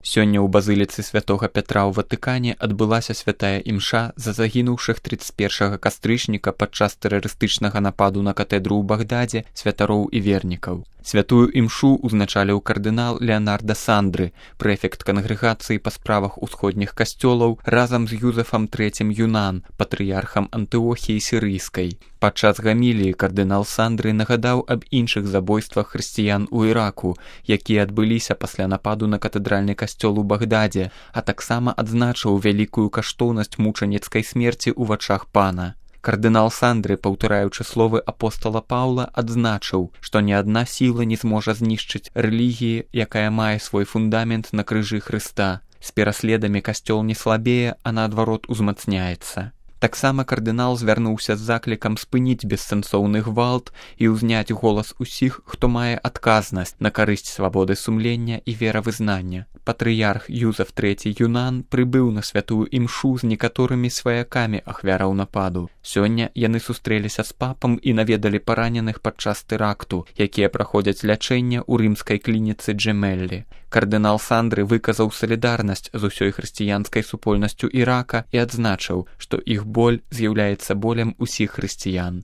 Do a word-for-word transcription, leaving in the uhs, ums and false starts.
Сёння ў базыліцы святога Пятра ў Ватыкане адбылася святая імша за загінуўшых трыццаць першага кастрычніка падчас тэрарыстычнага нападу на катэдру ў Багдадзе святароў і вернікаў. Святую імшу узначаліў кардынал Леонардо Сандры, прэфект кангрэгацыі па справах усходніх касцёлаў, разам з Юзефам трэцім Юнан, патрыярхам Антыохіі сірыйскай. Падчас гаміліі кардынал Сандры нагадаў аб іншых забойствах хрысціян у Іраку, якія адбыліся пасля нападу на катэдральны касцёл у Багдадзе, а таксама адзначыў вялікую каштоўнасць мучаніцкай смерці ў вачах пана. Кардынал Сандры, паўтараючы словы апостала Паўла, адзначыў, што ні адна сіла не зможа знішчыць рэлігіі, якая мае свой фундамент на крыжы Хрыста. З пераследамі касцёл не слабее, а наадварот узмацняецца. Таксама кардынал звярнуўся з заклікам спыніць бессэнсоўны гвалт і ўзняць голас усіх, хто мае адказнасць на карысць свабоды сумлення і веравызнання. Патрыярх Юзеф трэці Юнан прыбыў на святую імшу з некаторымі сваякамі ахвяраў нападу. Сёння яны сустрэліся з папам і наведалі параненых падчас тэракту, якія праходзяць лячэнне ў рымскай клініцы Джемеллі. Кардынал Сандры выказаў салідарнасць з усёй хрысціянскай супольнасцю Ірака і адзначыў, што іх боль з'яўляецца болем усіх хрысціян.